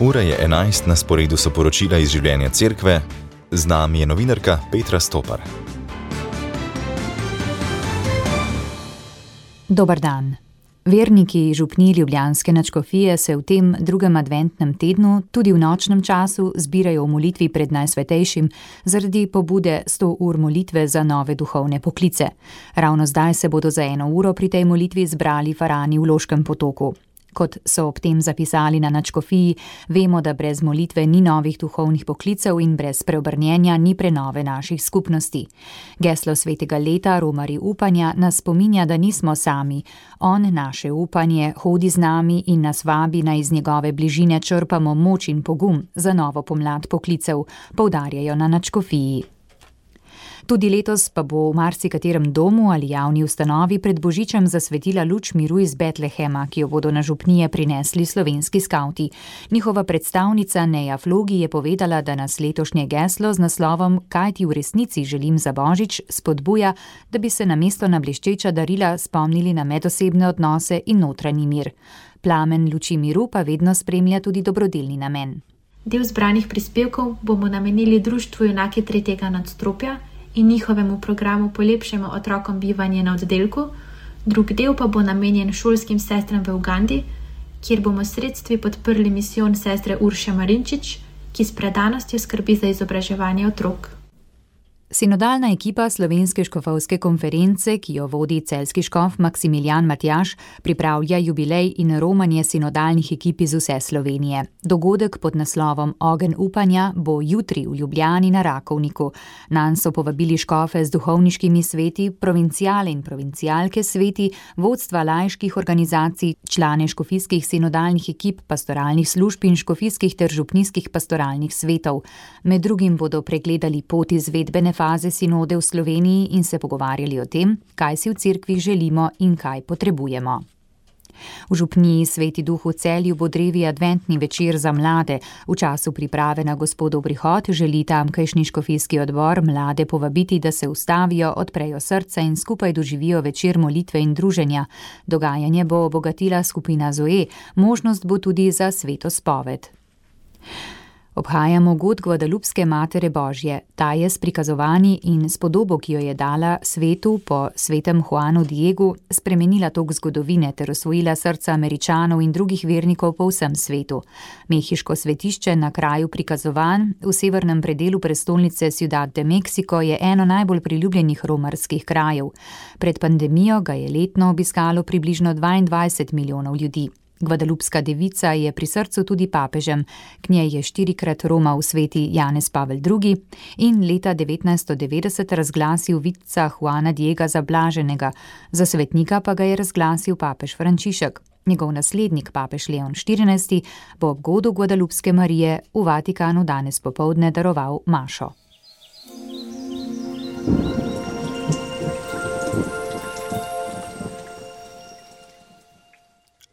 Ura je 11, na sporedu so poročila iz življenja cerkve, z nami je novinarka Petra Stopar. Dober dan. Verniki župniji ljubljanske nadškofije se v tem drugem adventnem tednu tudi v nočnem času zbirajo v molitvi pred Najsvetejšim zaradi pobude 100 ur molitve za nove duhovne poklice. Ravno zdaj se bodo za 1 uro pri tej molitvi zbrali farani v Loškem potoku. Kot so ob tem zapisali na nadškofiji, vemo, da brez molitve ni novih duhovnih poklicev in brez preobrnjenja ni prenove naših skupnosti. Geslo svetega leta, Romarji upanja, nas spominja, da nismo sami. On naše upanje hodi z nami in nas vabi, naj iz njegove bližine črpamo moč in pogum za novo pomlad poklicev, poudarjajo na nadškofiji. Tudi letos pa bo v marsikaterem domu ali javni ustanovi pred Božičem zasvetila luč miru iz Betlehema, ki jo bodo na župnije prinesli slovenski skavti. Njihova predstavnica Neja Flogi je povedala, da nas letošnje geslo z naslovom Kaj ti v resnici želim za Božič spodbuja, da bi se namesto na bleščeča darila spomnili na medosebne odnose in notranji mir. Plamen luči miru pa vedno spremlja tudi dobrodelni namen. Del zbranih prispevkov bomo namenili društvu Junaki tretjega nadstropja in njihovemu programu Polepšajmo otrokom bivanje na oddelku, drug del pa bo namenjen šolskim sestram v Ugandi, kjer bomo s sredstvi podprli misijon sestre Urše Marinčič, ki s predanostjo skrbi za izobraževanje otrok. Sinodalna ekipa Slovenske škofovske konference, ki jo vodi celjski škof Maksimilijan Matjaž, pripravlja jubilej in romanje sinodalnih ekip iz vse Slovenije. Dogodek pod naslovom Ogenj upanja bo jutri v Ljubljani na Rakovniku. Nanj so povabili škofe z duhovniškimi sveti, provinciale in provincialke sveti, vodstva laiških organizacij, člane škofijskih sinodalnih ekip, pastoralnih služb in škofijskih ter župnijskih pastoralnih svetov. Med drugim bodo pregledali pot izvedbene faze sinode v Sloveniji in se pogovarjali o tem, kaj si v cerkvi želimo in kaj potrebujemo. V župniji Sveti Duh v Celju bo drevi adventni večer za mlade. V času priprave na Gospodov prihod želi tamkajšnji škofijski odbor mlade povabiti, da se ustavijo, odprejo srca in skupaj doživijo večer molitve in druženja. Dogajanje bo obogatila skupina Zoe, možnost bo tudi za sveto spoved. Obhajamo god Guadalupske Matere Božje. Ta je s prikazovanji in s podobo, ki jo je dala svetu po svetem Juanu Diegu, spremenila tok zgodovine ter osvojila srca Američanov in drugih vernikov po vsem svetu. Mehiško svetišče na kraju prikazovanj v severnem predelu prestolnice Ciudad de Mexico je eno najbolj priljubljenih romarskih krajev. Pred pandemijo ga je letno obiskalo približno 22 milijonov ljudi. Guadalupska devica je pri srcu tudi papežem, k njej je 4-krat romal sveti Janez Pavel II. In leta 1990 razglasil vidca Juana Diega za blaženega, za svetnika pa ga je razglasil papež Frančišek. Njegov naslednik, papež Leon XIV., bo ob godu Guadalupske Marije v Vatikanu danes popoldne daroval mašo.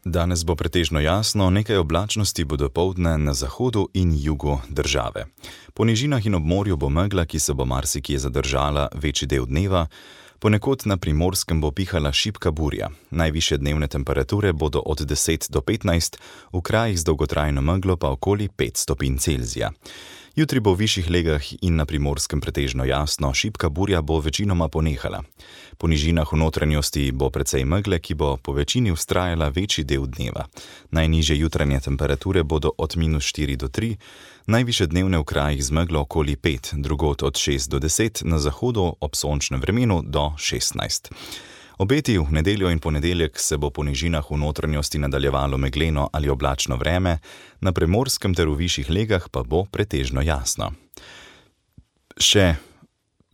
Danes bo pretežno jasno, nekaj oblačnosti bo dopoldne na zahodu in jugu države. Po nižinah in ob morju bo megla, ki se bo marsikje zadržala večji del dneva, ponekod na Primorskem bo pihala šibka burja. Najvišje dnevne temperature bodo od 10 do 15, v krajih z dolgotrajno meglo pa okoli 5 stopinj Celzija. Jutri bo v višjih legah in na Primorskem pretežno jasno, šibka burja bo večinoma ponehala. Po nižinah v notranjosti bo precej megle, ki bo po večini vztrajala večji del dneva. Najnižje jutranje temperature bodo od -4 do 3, najvišje dnevne v krajih z meglo okoli 5, drugod od 6 do 10, na zahodu ob sončnem vremenu do 16. Obeti v nedeljo in ponedeljek se bo po nižinah v notranjosti nadaljevalo megleno ali oblačno vreme, na Primorskem ter v višjih legah pa bo pretežno jasno. Še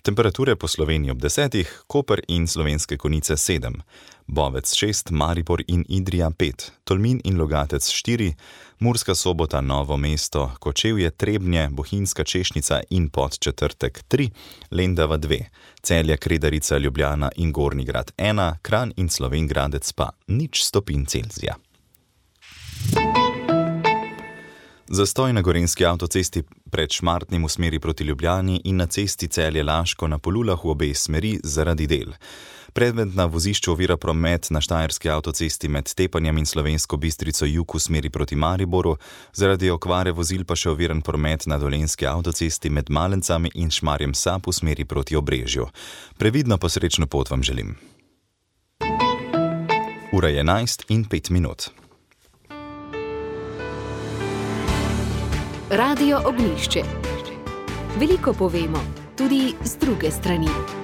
temperature po Sloveniji ob 10, Koper in Slovenske Konjice 7, Bovec 6, Maribor in Idrija 5, Tolmin in Logatec 4, Murska Sobota, Novo mesto, Kočevje, Trebnje, Bohinjska Češnica in Podčetrtek 3, Lendava 2, Celje, Kredarica, Ljubljana in Gornji Grad 1, Kranj in Slovenj Gradec pa 0 stopinj Celzija. Zastoj na gorenjski avtocesti pred Šmartnim v smeri proti Ljubljani in na cesti Celje-Laško na Polulah v obe smeri zaradi del. Predmet na vozišču ovira promet na štajerski avtocesti med Tepanjem in Slovensko Bistrico jug v smeri proti Mariboru, zaradi okvare vozil pa še oviran promet na dolenjski avtocesti med Malencami in Šmarjem Sap v smeri proti Obrežju. Previdno pa srečno pot vam želim. Ura je 11:05. Radio Ognjišče. Veliko povemo, tudi z druge strani.